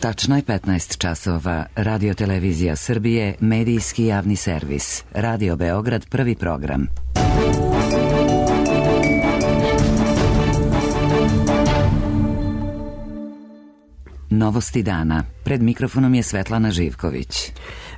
Tačno je 15 časova. Radio Televizija Srbije, medijski javni servis. Radio Beograd, prvi program. Novosti dana. Pred mikrofonom je Svetlana Živković.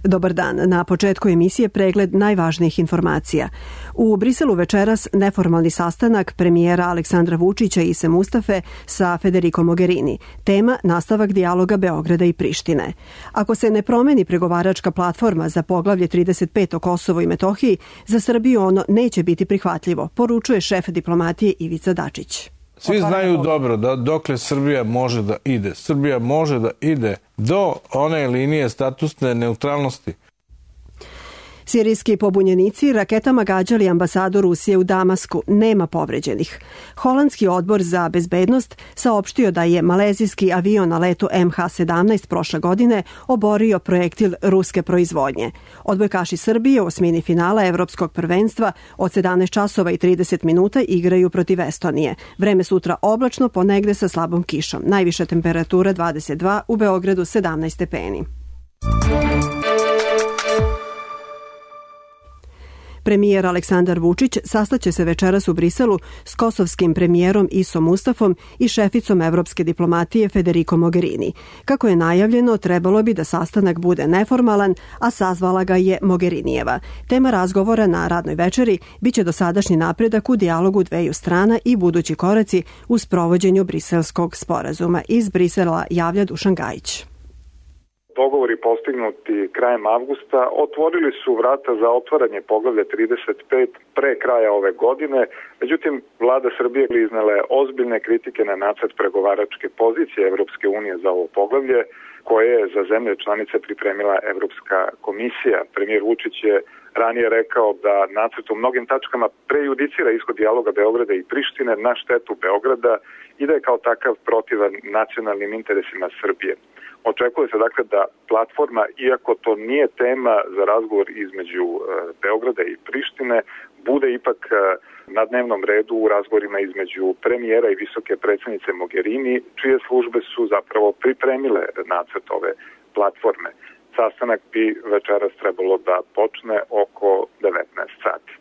Dobar dan. Na početku emisije pregled najvažnijih informacija. U Briselu večeras neformalni sastanak premijera Aleksandra Vučića i Ise Mustafe sa Federico Mogherini. Tema nastavak dijaloga Beograda i Prištine. Ako se ne promeni pregovaračka platforma za poglavlje 35 o Kosovu i Metohiji, za Srbiju ono neće biti prihvatljivo, poručuje šef diplomatije Ivica Dačić. Svi znaju dobro da dokle Srbija može da ide. Srbija može da ide do one linije statusne neutralnosti. Sirijski pobunjenici raketama gađali ambasadu Rusije u Damasku. Nema povređenih. Holandski odbor za bezbednost saopštio da je malezijski avion na letu MH17 prošle godine oborio projektil ruske proizvodnje. Odbojkaši Srbije u osmini finala Evropskog prvenstva od 17 časova i 30 minuta igraju protiv Estonije. Vreme sutra oblačno, ponegde sa slabom kišom. Najviša temperatura 22, u Beogradu 17 stepeni. Premijer Aleksandar Vučić sastaće se večeras u Briselu s kosovskim premijerom Isom Mustafom i šeficom evropske diplomatije Federico Mogherini. Kako je najavljeno, trebalo bi da sastanak bude neformalan, a sazvala ga je Mogherinijeva. Tema razgovora na radnoj večeri biće dosadašnji napredak u dijalogu dveju strana i budući koraci u sprovođenju Briselskog sporazuma. Iz Brisela javlja Dušan Gajić. Dogovori postignuti krajem avgusta otvorili su vrata za otvaranje poglavlja 35 pre kraja ove godine, međutim vlada Srbije iznela je ozbiljne kritike na nacrt pregovaračke pozicije Evropske unije za ovo poglavlje, koje je za zemlje članice pripremila Evropska komisija. Premijer Vučić je ranije rekao da nacrt u mnogim tačkama prejudicira ishod dijaloga Beograda i Prištine na štetu Beograda i da je kao takav protivan nacionalnim interesima Srbije. Očekuje se dakle da platforma, iako to nije tema za razgovor između Beograda i Prištine, bude ipak na dnevnom redu u razgovorima između premijera i visoke predsjednice Mogherini, čije službe su zapravo pripremile nacrt ove platforme. Sastanak bi večeras trebalo da počne oko 19 sati.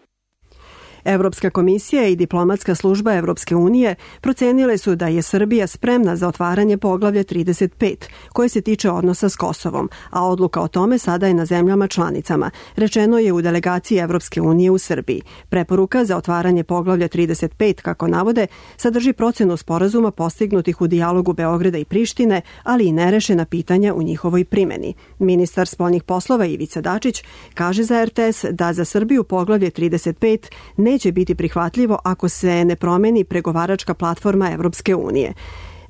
Evropska komisija i diplomatska služba Evropske unije procenile su da je Srbija spremna za otvaranje poglavlja 35, koje se tiče odnosa s Kosovom, a odluka o tome sada je na zemljama članicama, rečeno je u delegaciji Evropske unije u Srbiji. Preporuka za otvaranje poglavlja 35, kako navode, sadrži procenu sporazuma postignutih u dijalogu Beograda i Prištine, ali i nerešena pitanja u njihovoj primjeni. Ministar spoljnih poslova Ivica Dačić kaže za RTS da za Srbiju poglavlje 35 neće biti prihvatljivo ako se ne promeni pregovaračka platforma Evropske unije.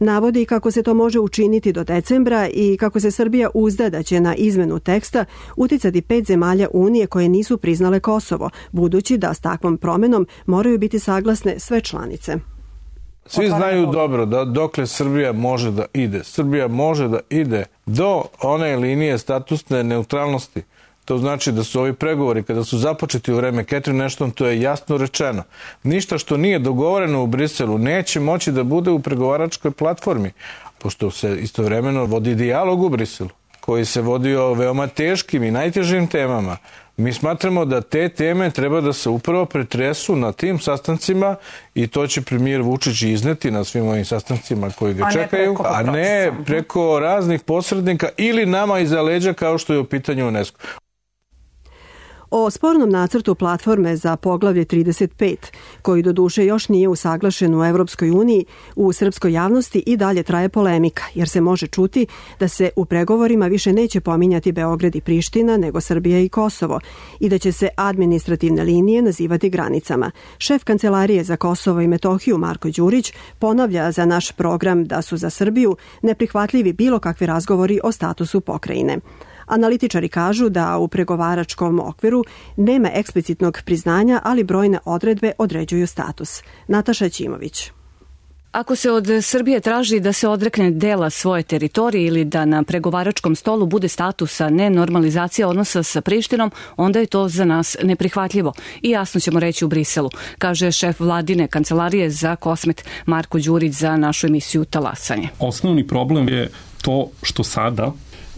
Navodi kako se to može učiniti do decembra i kako se Srbija uzda da će na izmenu teksta uticati 5 zemalja Unije koje nisu priznale Kosovo, budući da s takvom promenom moraju biti saglasne sve članice. Svi znaju dobro da dokle Srbija može da ide. Srbija može da ide do one linije statusne neutralnosti. To znači da su ovi pregovori, kada su započeti u vreme Catherine Ashton, to je jasno rečeno. Ništa što nije dogovoreno u Briselu neće moći da bude u pregovaračkoj platformi, pošto se istovremeno vodi dijalog u Briselu, koji se vodi o veoma teškim i najtežim temama. Mi smatramo da te teme treba da se upravo pretresu na tim sastancima i to će premijer Vučić izneti na svim ovim sastancima koji ga čekaju, a ne preko raznih posrednika ili nama iza leđa kao što je u pitanju UNESCO. O spornom nacrtu platforme za poglavlje 35, koji doduše još nije usaglašen u Evropskoj uniji, u srpskoj javnosti i dalje traje polemika, jer se može čuti da se u pregovorima više neće pominjati Beograd i Priština, nego Srbija i Kosovo, i da će se administrativne linije nazivati granicama. Šef Kancelarije za Kosovo i Metohiju Marko Đurić ponavlja za naš program da su za Srbiju neprihvatljivi bilo kakvi razgovori o statusu pokrajine. Analitičari kažu da u pregovaračkom okviru nema eksplicitnog priznanja, ali brojne odredbe određuju status. Nataša Ćimović. Ako se od Srbije traži da se odrekne dela svoje teritorije ili da na pregovaračkom stolu bude statusa nenormalizacija odnosa sa Prištinom, onda je to za nas neprihvatljivo i jasno ćemo reći u Briselu, kaže šef vladine kancelarije za Kosmet Marko Đurić za našu emisiju Talasanje. Osnovni problem je to što sada,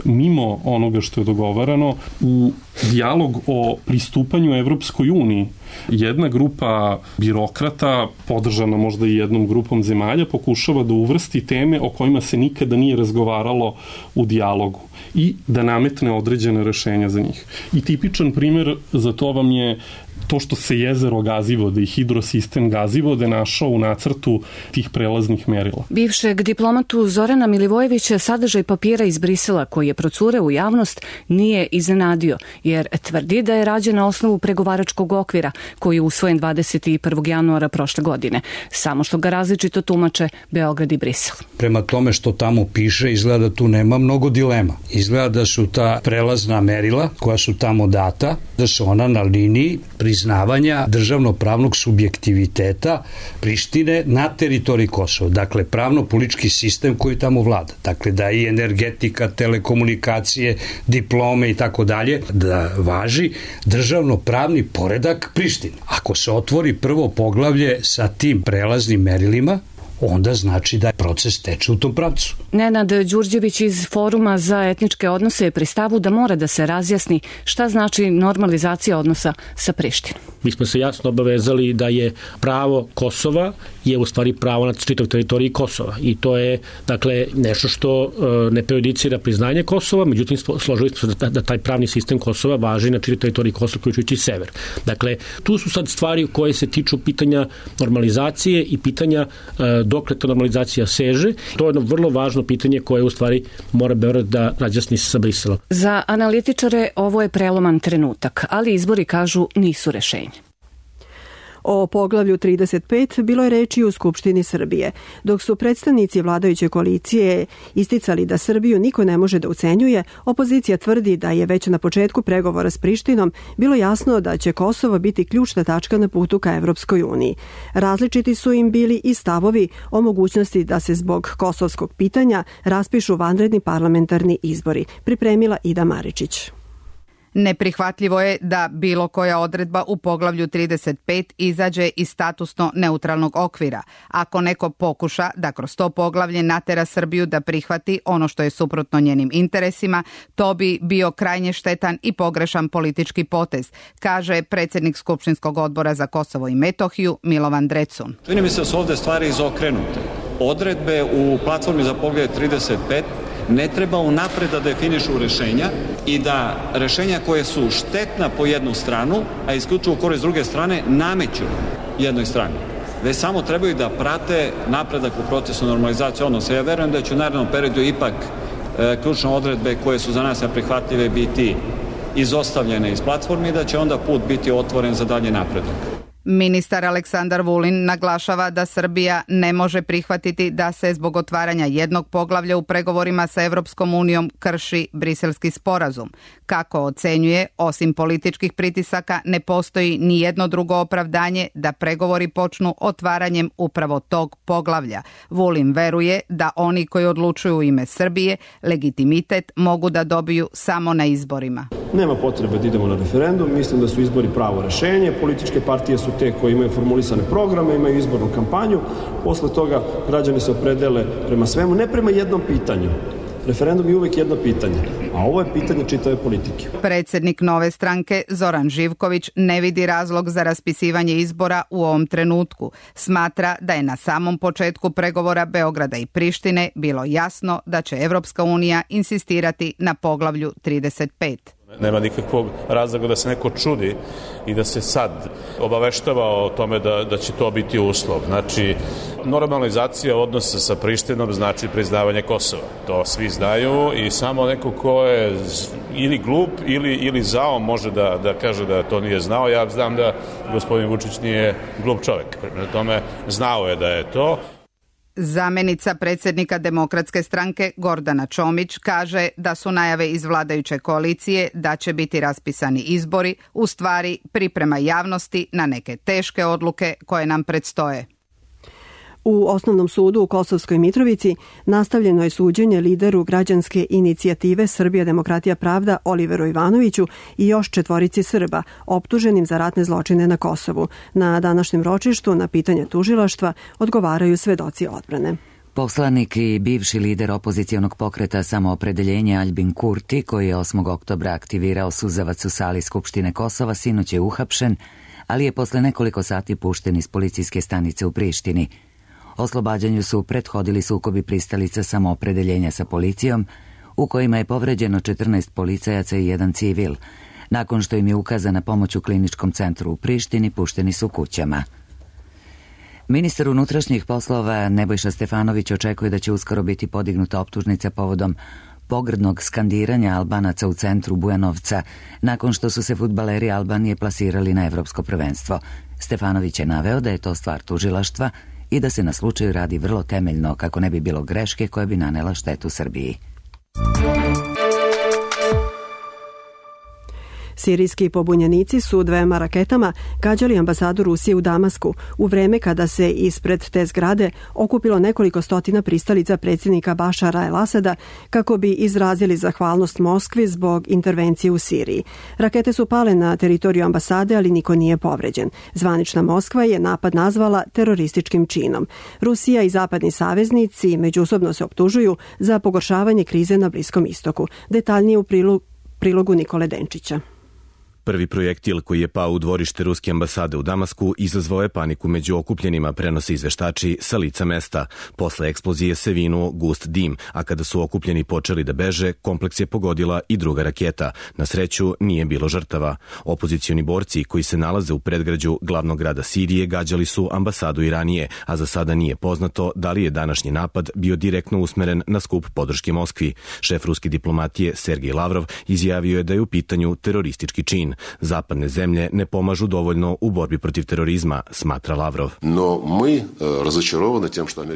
mimo onoga što je dogovarano, u dijalog o pristupanju Evropskoj uniji jedna grupa birokrata, podržana možda i jednom grupom zemalja, pokušava da uvrsti teme o kojima se nikada nije razgovaralo u dijalogu i da nametne određene rešenja za njih. I tipičan primer za to vam je to što se jezero Gazivode i hidrosistem Gazivode našao u nacrtu tih prelaznih merila. Bivšeg diplomatu Zorana Milivojevića sadržaj papira iz Brisela koji je procureo u javnost nije iznenadio, jer tvrdi da je rađen na osnovu pregovaračkog okvira koji je usvojen 21. januara prošle godine, samo što ga različito tumače Beograd i Brisel. Prema tome što tamo piše, izgleda da tu nema mnogo dilema. Izgleda da su ta prelazna merila koja su tamo data, da su ona na liniji priznavanja državno-pravnog subjektiviteta Prištine na teritoriji Kosova. Dakle, pravno-politički sistem koji tamo vlada. Dakle, da i energetika, telekomunikacije, diplome i tako dalje, da važi državno-pravni poredak Prištine. Ako se otvori prvo poglavlje sa tim prelaznim merilima, onda znači da proces teče u tom pravcu. Nenad Đurđević iz Foruma za etničke odnose je pri stavu da mora da se razjasni šta znači normalizacija odnosa sa Prištinom. Mi smo se jasno obavezali da je pravo Kosova je u stvari pravo na čitav teritoriji Kosova i to je dakle nešto što ne prejudicira priznanje Kosova, međutim složili smo se da taj pravni sistem Kosova važi na čitav teritoriji Kosova uključujući sever. Dakle, tu su sad stvari koje se tiču pitanja normalizacije i pitanja dokle ta normalizacija seže. To je jedno vrlo važno pitanje koje u stvari mora Beograd da razjasni sa Briselom. Za analitičare ovo je preloman trenutak, ali izbori kažu nisu rešenje. O poglavlju 35 bilo je reči u Skupštini Srbije, dok su predstavnici vladajuće koalicije isticali da Srbiju niko ne može da ucenjuje, opozicija tvrdi da je već na početku pregovora s Prištinom bilo jasno da će Kosovo biti ključna tačka na putu ka Evropskoj uniji. Različiti su im bili i stavovi o mogućnosti da se zbog kosovskog pitanja raspišu vanredni parlamentarni izbori, pripremila Ida Maričić. Neprihvatljivo je da bilo koja odredba u poglavlju 35 izađe iz statusno neutralnog okvira. Ako neko pokuša da kroz to poglavlje natera Srbiju da prihvati ono što je suprotno njenim interesima, to bi bio krajnje štetan i pogrešan politički potez, kaže predsjednik Skupštinskog odbora za Kosovo i Metohiju Milovan Drecun. Čini mi se da su ovde stvari izokrenute. Odredbe u platformi za poglavlje 35 ne treba unapred da definišu rešenja i da rešenja koje su štetna po jednu stranu, a isključivo u korist druge strane, nameću jednoj strani. Već samo trebaju da prate napredak u procesu normalizacije odnosa. Ja verujem da će u narednom periodu ipak ključne odredbe koje su za nas neprihvatljive biti izostavljene iz platformi i da će onda put biti otvoren za dalje napredak. Ministar Aleksandar Vulin naglašava da Srbija ne može prihvatiti da se zbog otvaranja jednog poglavlja u pregovorima sa Evropskom unijom krši Briselski sporazum. Kako ocenjuje, osim političkih pritisaka ne postoji ni jedno drugo opravdanje da pregovori počnu otvaranjem upravo tog poglavlja. Vulin veruje da oni koji odlučuju u ime Srbije legitimitet mogu da dobiju samo na izborima. Nema potrebe da idemo na referendum, mislim da su izbori pravo rešenje, političke partije su te koje imaju formulisane programe, imaju izbornu kampanju, posle toga građani se opredele prema svemu, ne prema jednom pitanju. Referendum je uvijek jedno pitanje, a ovo je pitanje čitave politike. Predsjednik Nove stranke Zoran Živković ne vidi razlog za raspisivanje izbora u ovom trenutku. Smatra da je na samom početku pregovora Beograda i Prištine bilo jasno da će Evropska unija insistirati na poglavlju 35. Nema nikakvog razloga da se neko čudi i da se sad obaveštava o tome da će to biti uslov. Znači, normalizacija odnosa sa Prištinom znači priznavanje Kosova. To svi znaju i samo neko ko je ili glup ili zao može da kaže da to nije znao. Ja znam da gospodin Vučić nije glup čovjek. Prema tome, znao je da je to. Zamenica predsjednika Demokratske stranke Gordana Čomić kaže da su najave iz vladajuće koalicije da će biti raspisani izbori u stvari priprema javnosti na neke teške odluke koje nam predstoje. U Osnovnom sudu u Kosovskoj Mitrovici nastavljeno je suđenje lideru građanske inicijative Srbija demokratija pravda Oliveru Ivanoviću i još 4 Srba optuženim za ratne zločine na Kosovu. Na današnjem ročištu na pitanje tužilaštva odgovaraju svedoci odbrane. Poslanik i bivši lider opozicionog pokreta Samoopredeljenje Aljbin Kurti, koji je 8. oktobra aktivirao suzavac u sali Skupštine Kosova, sinoć je uhapšen, ali je posle nekoliko sati pušten iz policijske stanice u Prištini. Oslobađanju su prethodili sukobi pristalica Samoopredeljenja sa policijom, u kojima je povređeno 14 policajaca i 1 civil. Nakon što im je ukazana pomoć u kliničkom centru u Prištini, pušteni su kućama. Ministar unutrašnjih poslova Nebojša Stefanović očekuje da će uskoro biti podignuta optužnica povodom pogrdnog skandiranja Albanaca u centru Bujanovca nakon što su se fudbaleri Albanije plasirali na evropsko prvenstvo. Stefanović je naveo da je to stvar tužilaštva i da se na slučaju radi vrlo temeljno kako ne bi bilo greške koja bi nanela štetu Srbiji. Sirijski pobunjenici su 2 raketama gađali ambasadu Rusije u Damasku u vreme kada se ispred te zgrade okupilo nekoliko stotina pristalica predsjednika Bašara el-Asada kako bi izrazili zahvalnost Moskvi zbog intervencije u Siriji. Rakete su pale na teritoriju ambasade, ali niko nije povređen. Zvanična Moskva je napad nazvala terorističkim činom. Rusija i zapadni saveznici međusobno se optužuju za pogoršavanje krize na Bliskom istoku. Detaljnije u prilogu Nikole Denčića. Prvi projektil koji je pao u dvorište ruske ambasade u Damasku izazvao je paniku među okupljenima, prenose izveštači sa lica mesta. Posle eksplozije se vinuo gust dim, a kada su okupljeni počeli da beže, kompleks je pogodila i druga raketa. Na sreću nije bilo žrtava. Opozicioni borci koji se nalaze u predgrađu glavnog grada Sirije gađali su ambasadu i ranije, a za sada nije poznato da li je današnji napad bio direktno usmeren na skup podrške Moskvi. Šef ruske diplomatije Sergej Lavrov izjavio je da je u pitanju teroristički čin. Zapadne zemlje ne pomažu dovoljno u borbi protiv terorizma, smatra Lavrov.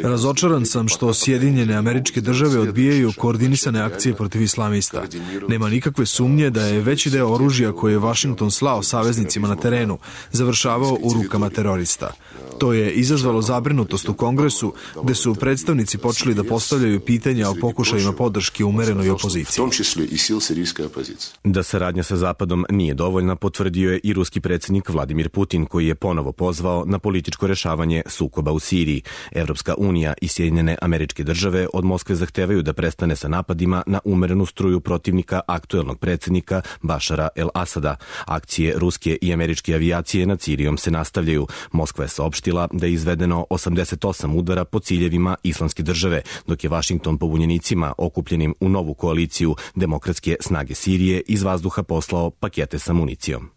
Razočaran sam što Sjedinjene Američke Države odbijaju koordinisane akcije protiv islamista. Nema nikakve sumnje da je veći deo oružja koje je Vašington slao saveznicima na terenu završavao u rukama terorista. To je izazvalo zabrinutost u Kongresu, gde su predstavnici počeli da postavljaju pitanja o pokušajima podrške umerenoj opoziciji. Da saradnja sa Zapadom nije dovoljna, potvrdio je i ruski predsjednik Vladimir Putin, koji je ponovo pozvao na političko rešavanje sukoba u Siriji. Evropska unija i Sjedinjene Američke Države od Moskve zahtevaju da prestane sa napadima na umerenu struju protivnika aktuelnog predsjednika Bašara el-Asada. Akcije ruske i američke avijacije nad Sirijom se nastavljaju. Moskva je saopštila da je izvedeno 88 udara po ciljevima Islamske države, dok je Vašington pobunjenicima okupljenim u novu koaliciju Demokratske snage Sirije iz vazduha poslao pakete sa municijom.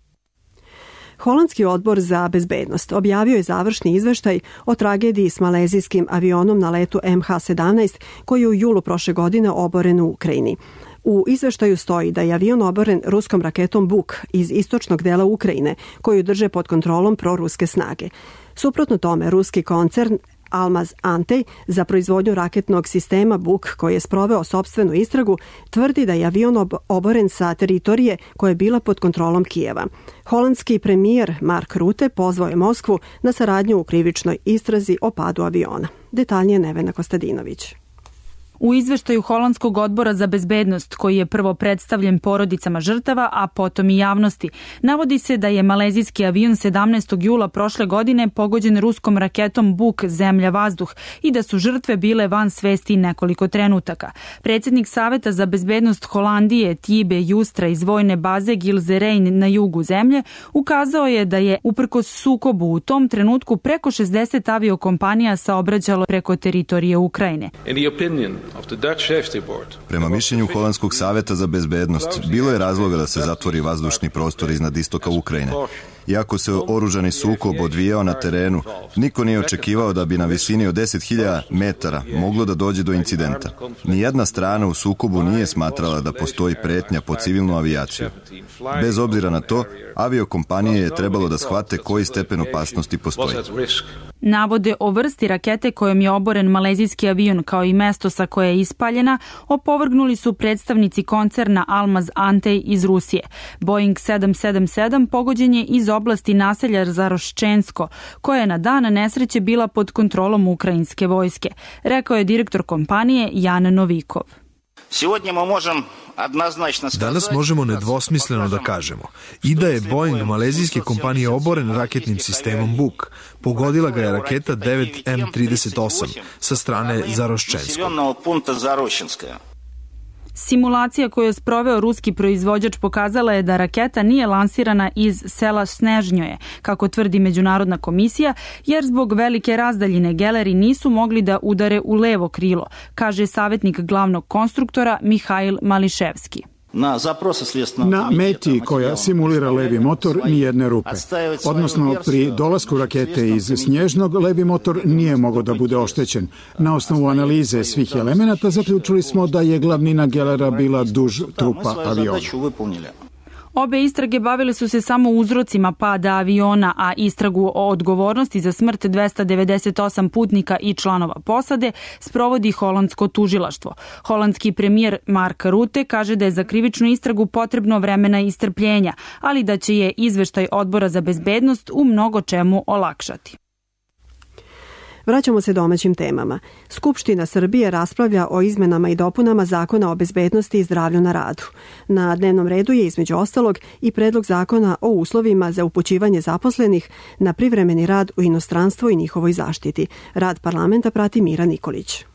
Holandski odbor za bezbednost objavio je završni izveštaj o tragediji s malezijskim avionom na letu MH17 koji je u julu prošle godine oboren u Ukrajini. U izveštaju stoji da je avion oboren ruskom raketom Buk iz istočnog dela Ukrajine, koju drže pod kontrolom proruske snage. Suprotno tome, ruski koncern Almaz Antey za proizvodnju raketnog sistema Buk, koji je sproveo sopstvenu istragu, tvrdi da je avion oboren sa teritorije koja je bila pod kontrolom Kijeva. Holandski premijer Mark Rutte pozvao je Moskvu na saradnju u krivičnoj istrazi o padu aviona. Detaljnije Nevena Kostadinović. U izveštaju Holandskog odbora za bezbednost, koji je prvo predstavljen porodicama žrtava, a potom i javnosti, navodi se da je malezijski avion 17. jula prošle godine pogođen ruskom raketom Buk zemlja-vazduh i da su žrtve bile van svesti nekoliko trenutaka. Predsjednik Saveta za bezbednost Holandije Tibe Justra iz vojne baze Gilzerein na jugu zemlje ukazao je da je uprkos sukobu u tom trenutku preko 60 aviokompanija saobraćalo preko teritorije Ukrajine. Prema mišljenju Holandskog saveta za bezbednost, bilo je razloga da se zatvori vazdušni prostor iznad istoka Ukrajine. Iako se oružani sukob odvijao na terenu, niko nije očekivao da bi na visini od 10.000 metara moglo da dođe do incidenta. Nijedna strana u sukobu nije smatrala da postoji pretnja po civilnu avijaciju. Bez obzira na to, aviokompanije je trebalo da shvate koji stepen opasnosti postoji. Navode o vrsti rakete kojom je oboren malezijski avion kao i mesto sa koje je ispaljena opovrgnuli su predstavnici koncerna Almaz Antey iz Rusije. Boeing 777 pogođen je iz oblasti naselja Zaroščensko, koja je na dan nesreće bila pod kontrolom ukrajinske vojske, rekao je direktor kompanije Jan Novikov. Danas možemo nedvosmisleno da kažemo i da je Boeing malezijske kompanije oboren raketnim sistemom Buk. Pogodila ga je raketa 9M38 sa strane Zaroščenskog. Simulacija koju je sproveo ruski proizvođač pokazala je da raketa nije lansirana iz sela Snežnjoje, kako tvrdi Međunarodna komisija, jer zbog velike razdaljine geleri nisu mogli da udare u levo krilo, kaže savjetnik glavnog konstruktora Mihail Mališevski. Na meti koja simulira levi motor nijedne rupe. Odnosno, pri dolasku rakete iz Snježnog levi motor nije mogao da bude oštećen. Na osnovu analize svih elemenata zaključili smo da je glavnina gelera bila duž trupa aviona. Obe istrage bavile su se samo uzrocima pada aviona, a istragu o odgovornosti za smrt 298 putnika i članova posade sprovodi holandsko tužilaštvo. Holandski premijer Mark Rutte kaže da je za krivičnu istragu potrebno vremena i strpljenja, ali da će je izveštaj Odbora za bezbednost u mnogo čemu olakšati. Vraćamo se domaćim temama. Skupština Srbije raspravlja o izmenama i dopunama Zakona o bezbednosti i zdravlju na radu. Na dnevnom redu je između ostalog i predlog zakona o uslovima za upućivanje zaposlenih na privremeni rad u inostranstvo i njihovoj zaštiti. Rad parlamenta prati Mira Nikolić.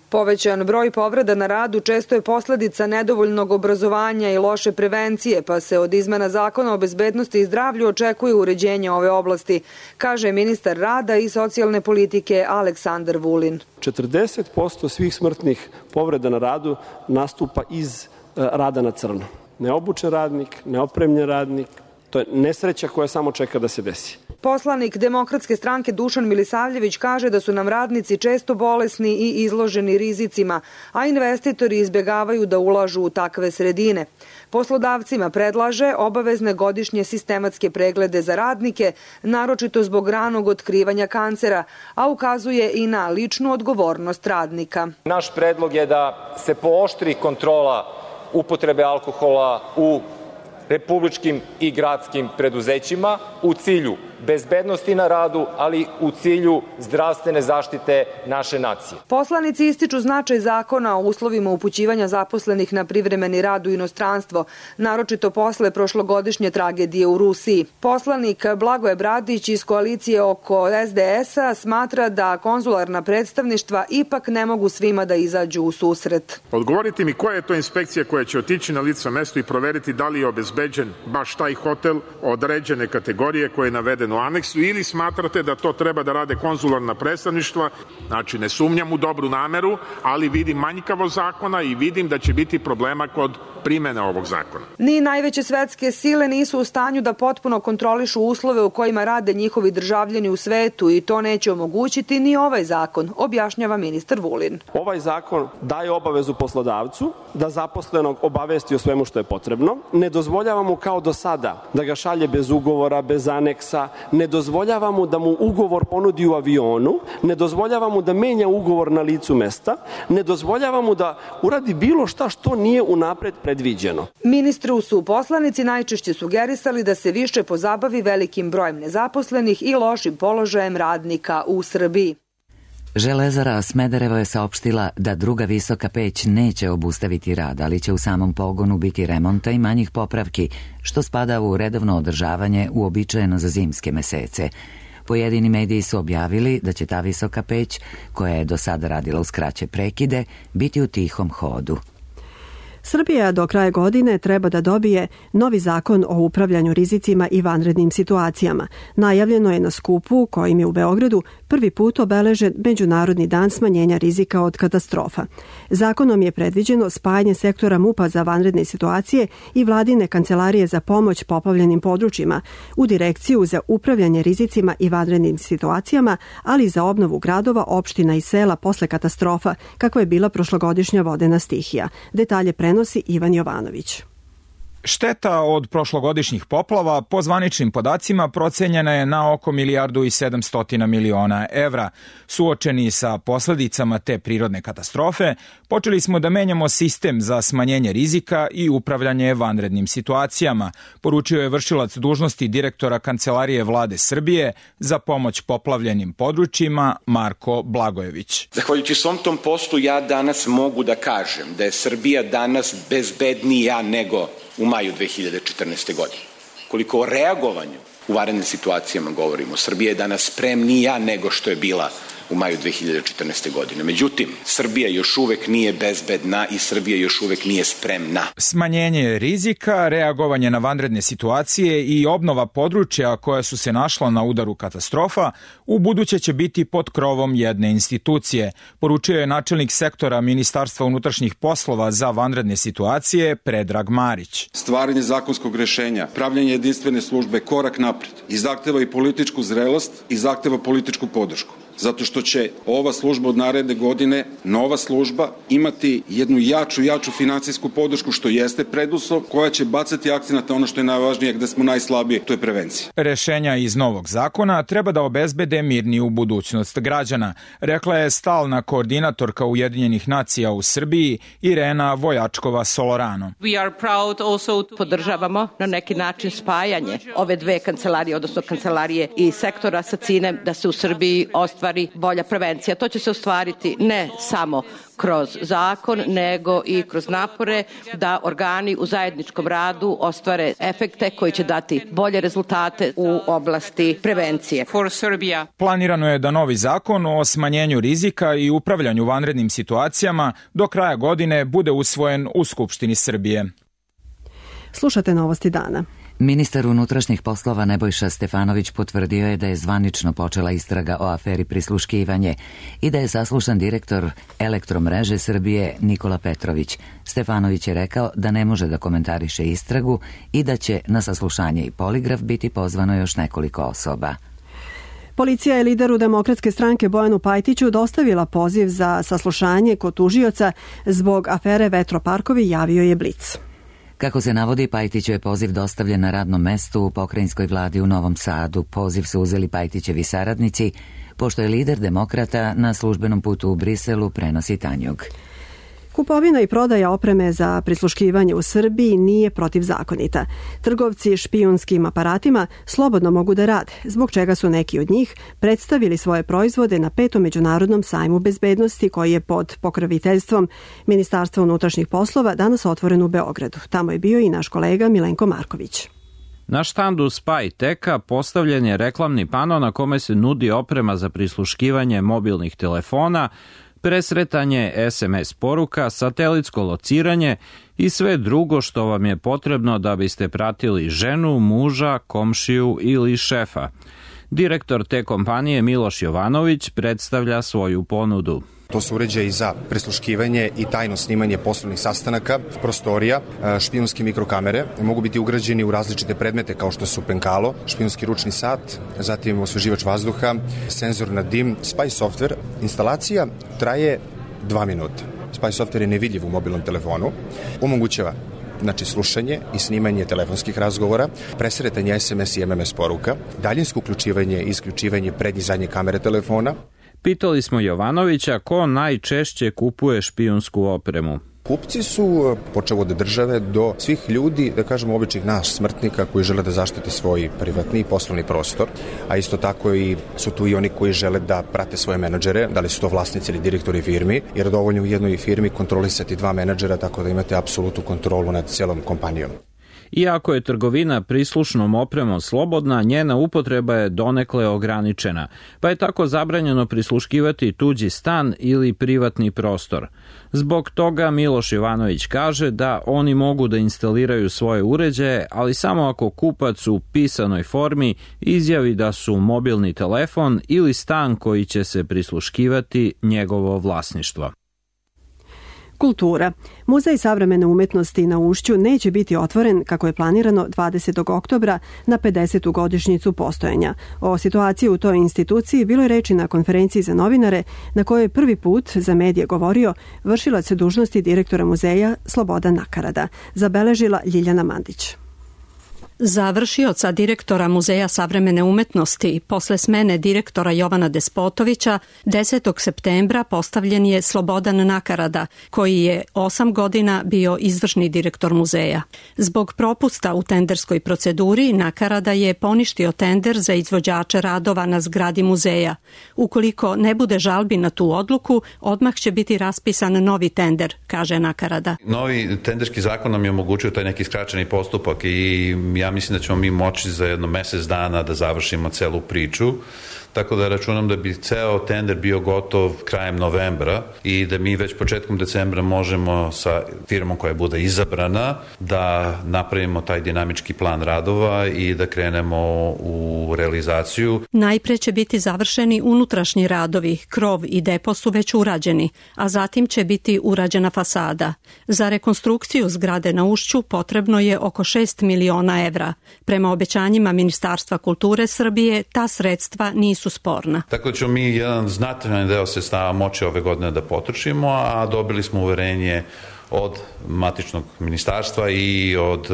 Povećan broj povreda na radu često je posledica nedovoljnog obrazovanja i loše prevencije, pa se od izmena Zakona o bezbednosti i zdravlju očekuje uređenje ove oblasti, kaže ministar rada i socijalne politike Aleksandar Vulin. 40% svih smrtnih povreda na radu nastupa iz rada na crno. Neobučen radnik, neopremljen radnik, to je nesreća koja samo čeka da se desi. Poslanik Demokratske stranke Dušan Milisavljević kaže da su nam radnici često bolesni i izloženi rizicima, a investitori izbjegavaju da ulažu u takve sredine. Poslodavcima predlaže obavezne godišnje sistematske preglede za radnike, naročito zbog ranog otkrivanja kancera, a ukazuje i na ličnu odgovornost radnika. Naš predlog je da se pooštri kontrola upotrebe alkohola u republičkim i gradskim preduzećima u cilju bezbednosti na radu, ali u cilju zdravstvene zaštite naše nacije. Poslanici ističu značaj zakona o uslovima upućivanja zaposlenih na privremeni rad u inostranstvo, naročito posle prošlogodišnje tragedije u Rusiji. Poslanik Blagoje Bradić iz koalicije oko SDS-a smatra da konzularna predstavništva ipak ne mogu svima da izađu u susret. Odgovorite mi koja je to inspekcija koja će otići na lice mesto i proveriti da li je obezbeđen baš taj hotel određene kategorije koje je navedeno u aneksu, ili smatrate da to treba da rade konzularna predstavništva? Znači, ne sumnjam u dobru nameru, ali vidim manjkavo zakona i vidim da će biti problema kod primene ovog zakona. Ni najveće svetske sile nisu u stanju da potpuno kontrolišu uslove u kojima rade njihovi državljani u svetu i to neće omogućiti ni ovaj zakon, objašnjava ministar Vulin. Ovaj zakon daje obavezu poslodavcu da zaposlenog obavesti o svemu što je potrebno. Ne dozvoljava mu kao do sada da ga šalje bez ugovora, bez aneksa, ne dozvoljava mu da mu ugovor ponudi u avionu, ne dozvoljava mu da menja ugovor na licu mesta, ne dozvoljava mu da uradi bilo šta što nije unapred predviđeno. Ministru su poslanici najčešće sugerisali da se više pozabavi velikim brojem nezaposlenih i lošim položajem radnika u Srbiji. Železara Smederevo je saopštila da druga visoka peć neće obustaviti rad, ali će u samom pogonu biti remonta i manjih popravki, što spada u redovno održavanje uobičajeno za zimske mesece. Pojedini mediji su objavili da će ta visoka peć, koja je do sada radila uz kraće prekide, biti u tihom hodu. Srbija do kraja godine treba da dobije novi zakon o upravljanju rizicima i vanrednim situacijama. Najavljeno je na skupu kojim je u Beogradu prvi put obeležen Međunarodni dan smanjenja rizika od katastrofa. Zakonom je predviđeno spajanje sektora MUP-a za vanredne situacije i vladine kancelarije za pomoć poplavljenim područjima u Direkciju za upravljanje rizicima i vanrednim situacijama, ali i za obnovu gradova, opština i sela posle katastrofa, kakva je bila prošlogodišnja vodena stihija. Detalje prenosi Ivan Jovanović. Šteta od prošlogodišnjih poplava po zvaničnim podacima procenjena je na oko 1.700 miliona evra. Suočeni sa posledicama te prirodne katastrofe, počeli smo da menjamo sistem za smanjenje rizika i upravljanje vanrednim situacijama, poručio je vršilac dužnosti direktora Kancelarije Vlade Srbije za pomoć poplavljenim područjima Marko Blagojević. Zahvaljujući svom tom poslu ja danas mogu da kažem da je Srbija danas bezbednija nego u maju 2014. godine. Koliko o reagovanju u vanrednim situacijama govorimo, Srbija je danas spremnija nego što je bila u maju 2014. godine. Međutim, Srbija još uvek nije bezbedna i Srbija još uvek nije spremna. Smanjenje rizika, reagovanje na vanredne situacije i obnova područja koja su se našla na udaru katastrofa u buduće će biti pod krovom jedne institucije, poručio je načelnik sektora Ministarstva unutrašnjih poslova za vanredne situacije Predrag Marić. Stvaranje zakonskog rešenja, pravljanje jedinstvene službe korak napred i zahteva i političku zrelost i zahteva političku podršku. Zato što će ova služba od naredne godine, nova služba, imati jednu jaču finansijsku podršku, što jeste preduslov, koja će bacati akcenat na ono što je najvažnije, gde smo najslabiji, to je prevencija. Rešenja iz novog zakona treba da obezbede mirniju budućnost građana, rekla je stalna koordinatorka Ujedinjenih nacija u Srbiji Irena Vojačkova-Solorano. Podržavamo na neki način spajanje ove dve kancelarije, odnosno kancelarije i sektora sa ciljem da se u Srbiji ostvari bolja prevencija. To će se ostvariti ne samo kroz zakon, nego i kroz napore da organi u zajedničkom radu ostvare efekte koji će dati bolje rezultate u oblasti prevencije. Planirano je da novi zakon o smanjenju rizika i upravljanju vanrednim situacijama do kraja godine bude usvojen u Skupštini Srbije. Slušate Novosti dana. Ministar unutrašnjih poslova Nebojša Stefanović potvrdio je da je zvanično počela istraga o aferi prisluškivanje i da je saslušan direktor Elektromreže Srbije Nikola Petrović. Stefanović je rekao da ne može da komentariše istragu i da će na saslušanje i poligraf biti pozvano još nekoliko osoba. Policija je lideru Demokratske stranke Bojanu Pajtiću dostavila poziv za saslušanje kod tužioca zbog afere Vetroparkovi, javio je Blic. Kako se navodi, Pajtiću je poziv dostavljen na radnom mestu u pokrajinskoj vladi u Novom Sadu. Poziv su uzeli Pajtićevi saradnici, pošto je lider demokrata na službenom putu u Briselu, prenosi Tanjug. Kupovina i prodaja opreme za prisluškivanje u Srbiji nije protivzakonita. Trgovci špijunskim aparatima slobodno mogu da rade, zbog čega su neki od njih predstavili svoje proizvode na 5. međunarodnom sajmu bezbednosti koji je pod pokroviteljstvom Ministarstva unutrašnjih poslova danas otvoren u Beogradu. Tamo je bio i naš kolega Milenko Marković. Na štandu Spyteka postavljen je reklamni pano na kome se nudi oprema za prisluškivanje mobilnih telefona, presretanje SMS poruka, satelitsko lociranje i sve drugo što vam je potrebno da biste pratili ženu, muža, komšiju ili šefa. Direktor te kompanije Miloš Jovanović predstavlja svoju ponudu. To su uređaji za prisluškivanje i tajno snimanje poslovnih sastanaka, prostorija, špijunske mikrokamere. Mogu biti ugrađeni u različite predmete kao što su penkalo, špijunski ručni sat, zatim osveživač vazduha, senzor na dim, spy software. Instalacija traje 2 minuta. Spy software je nevidljiv u mobilnom telefonu. Omogućava slušanje i snimanje telefonskih razgovora, presretanje SMS i MMS poruka, daljinsko uključivanje i isključivanje prednje i zadnje kamere telefona. Pitali smo Jovanovića ko najčešće kupuje špijunsku opremu. Kupci su, počev od države do svih ljudi, da kažemo običnih nas smrtnika koji žele da zaštite svoj privatni i poslovni prostor, a isto tako i su tu i oni koji žele da prate svoje menadžere, da li su to vlasnici ili direktori firmi, jer dovoljno u jednoj firmi kontrolisati 2 menadžera, tako da imate apsolutnu kontrolu nad cijelom kompanijom. Iako je trgovina prislušnom opremom slobodna, njena upotreba je donekle ograničena, pa je tako zabranjeno prisluškivati tuđi stan ili privatni prostor. Zbog toga Miloš Jovanović kaže da oni mogu da instaliraju svoje uređaje, ali samo ako kupac u pisanoj formi izjavi da su mobilni telefon ili stan koji će se prisluškivati njegovo vlasništvo. Kultura. Muzej savremene umetnosti na Ušću neće biti otvoren kako je planirano 20. oktobra na 50. godišnjicu postojanja. O situaciji u toj instituciji bilo je reči na konferenciji za novinare na kojoj je prvi put za medije govorio vršilac dužnosti direktora muzeja Slobodan Nakarada, zabeležila Ljiljana Mandić. Za vršioca direktora Muzeja savremene umetnosti posle smene direktora Jovana Despotovića 10. septembra postavljen je Slobodan Nakarada, koji je 8 godina bio izvršni direktor muzeja. Zbog propusta u tenderskoj proceduri Nakarada je poništio tender za izvođače radova na zgradi muzeja. Ukoliko ne bude žalbi na tu odluku, odmah će biti raspisan novi tender, kaže Nakarada. Novi tenderski zakon nam je omogućio taj neki skraćeni postupak i ja mislim da ćemo mi moći za jedno mesec dana da završimo celu priču, tako da računam da bi ceo tender bio gotov krajem novembra i da mi već početkom decembra možemo sa firmom koja bude izabrana da napravimo taj dinamički plan radova i da krenemo u realizaciju. Najpre će biti završeni unutrašnji radovi, krov i depo su već urađeni, a zatim će biti urađena fasada. Za rekonstrukciju zgrade na Ušću potrebno je oko 6 miliona evra. Prema obećanjima Ministarstva kulture Srbije, ta sredstva nisu sporna. Tako da ćemo mi jedan znatan deo sredstava moći ove godine da potrošimo, a dobili smo uverenje od matičnog ministarstva i od,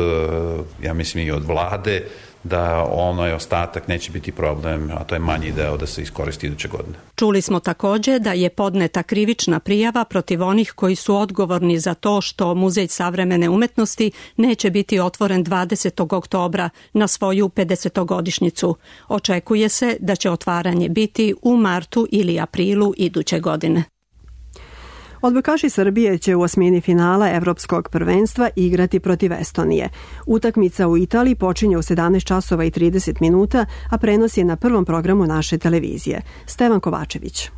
ja mislim, i od vlade da onaj ostatak neće biti problem, a to je manji deo da se iskoristi iduće godine. Čuli smo takođe da je podneta krivična prijava protiv onih koji su odgovorni za to što Muzej savremene umetnosti neće biti otvoren 20. oktobra na svoju 50-godišnjicu. Očekuje se da će otvaranje biti u martu ili aprilu iduće godine. Odbojkaši Srbije će u osmini finala Evropskog prvenstva igrati protiv Estonije. Utakmica u Italiji počinje u 17 časova i 30 minuta, a prenos je na prvom programu naše televizije. Stevan Kovačević.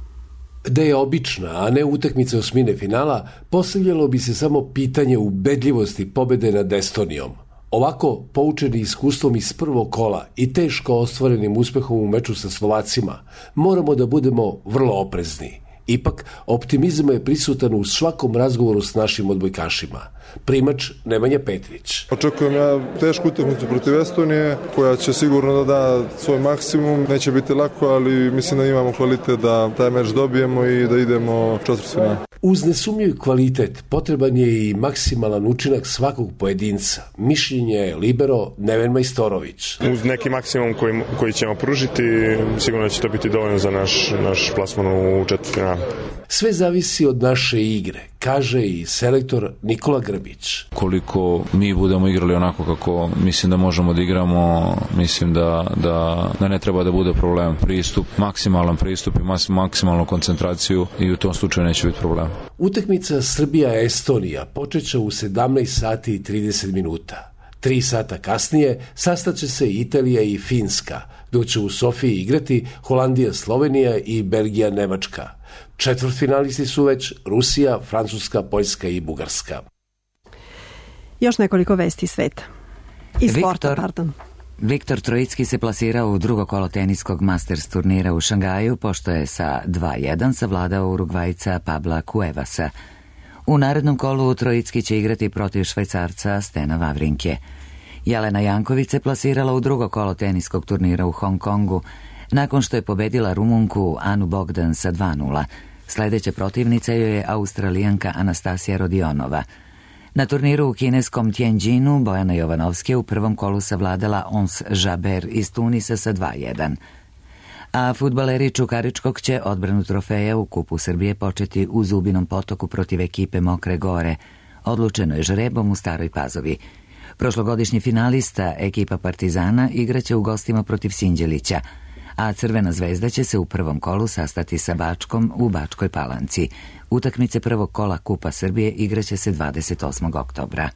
Da je obična, a ne utakmica osmine finala, postavljalo bi se samo pitanje ubedljivosti pobede nad Estonijom. Ovako, poučeni iskustvom iz prvog kola i teško ostvarenim uspehom u meču sa Slovacima, moramo da budemo vrlo oprezni. Ipak, optimizam je prisutan u svakom razgovoru s našim odbojkašima. Primač Nemanja Petrić. Očekujem ja tešku utakmicu protiv Estonije, koja će sigurno da da svoj maksimum. Neće biti lako, ali mislim da imamo kvalitet da taj meč dobijemo i da idemo četvrtfinale. Uz nesumnjiv kvalitet potreban je i maksimalan učinak svakog pojedinca. Mišljenje je libero Neven Majstorović. Uz neki maksimum koji ćemo pružiti, sigurno će to biti dovoljno za naš plasman u četvrtfinale. Sve zavisi od naše igre, kaže i selektor Nikola Grbić. Koliko mi budemo igrali onako kako mislim da možemo da igramo, mislim da ne treba da bude problem. Maksimalan pristup i maksimalnu koncentraciju i u tom slučaju neće biti problem. Utakmica Srbija-Estonija počeće u 17 sati i 30 minuta. 3 sata kasnije sastaće se Italija i Finska, dok će u Sofiji igrati Holandija, Slovenija i Belgija, Nemačka. Četvrtfinalisti su već Rusija, Francuska, Poljska i Bugarska. Još nekoliko vesti sveta. I sporta, pardon. Viktor Trojicki se plasirao u drugo kolo teniskog Masters turnira u Šangaju, pošto je sa 2-1 savladao Urugvajca Pabla Cuevasa. U narednom kolu Trojicki će igrati protiv Švajcarca Stena Wawrinke. Jelena Janković se plasirala u drugo kolo teniskog turnira u Hong Kongu, nakon što je pobedila Rumunku Anu Bogdan sa 2-0. Sledeća protivnica joj je Australijanka Anastasija Rodionova. Na turniru u kineskom Tianjinu Bojana Jovanovski u prvom kolu savladala Ons Jabeur iz Tunisa sa 2-1. A fudbaleri Čukaričkog će odbranu trofeja u Kupu Srbije početi u Zubinom Potoku protiv ekipe Mokre Gore. Odlučeno je žrebom u Staroj Pazovi. Prošlogodišnji finalista ekipa Partizana igraće u gostima protiv Sinđelića, a Crvena zvezda će se u prvom kolu sastati sa Bačkom u Bačkoj Palanci. Utakmice prvog kola Kupa Srbije igraće se 28. oktobra.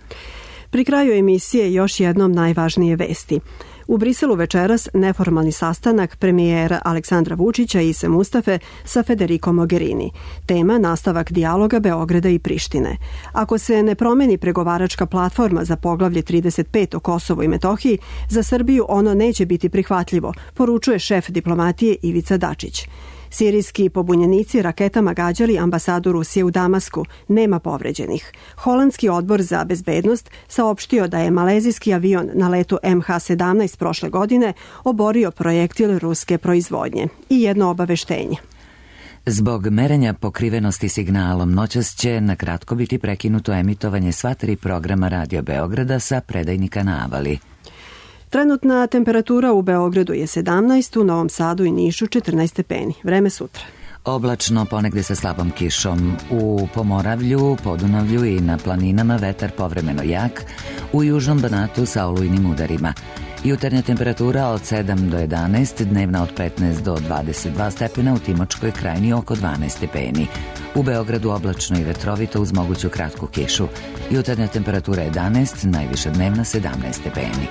Pri kraju emisije još jednom najvažnije vesti. U Briselu večeras neformalni sastanak premijera Aleksandra Vučića i Ise Mustafe sa Federico Mogherini. Tema nastavak dijaloga Beograda i Prištine. Ako se ne promeni pregovaračka platforma za poglavlje 35 o Kosovu i Metohiji, za Srbiju ono neće biti prihvatljivo, poručuje šef diplomatije Ivica Dačić. Sirijski pobunjenici raketama gađali ambasadu Rusije u Damasku. Nema povređenih. Holandski odbor za bezbednost saopštio da je malezijski avion na letu MH17 prošle godine oborio projektil ruske proizvodnje. I jedno obaveštenje. Zbog merenja pokrivenosti signalom noćas će na kratko biti prekinuto emitovanje sva 3 programa Radio Beograda sa predajnika na Avali. Trenutna temperatura u Beogradu je 17, u Novom Sadu i Nišu 14 stepeni. Vreme sutra. Oblačno, ponegde sa slabom kišom. U Pomoravlju, Podunavlju i na planinama vetar povremeno jak, u južnom Banatu sa olujnim udarima. Jutarnja temperatura od 7 do 11, dnevna od 15 do 22 stepena, u Timočkoj krajini oko 12 stepeni. U Beogradu oblačno i vetrovito uz moguću kratku kišu. Jutarnja temperatura 11, najviša dnevna 17 stepeni.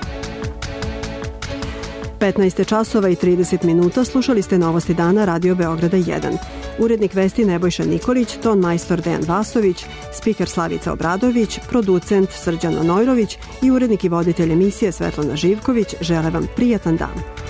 15 časova i 30 minuta slušali ste Novosti dana Radio Beograda 1. Urednik vesti Nebojša Nikolić, ton majstor Dejan Vasović, spiker Slavica Obradović, producent Srđan Onojrović i urednik i voditelj emisije Svetlana Živković žele vam prijatan dan.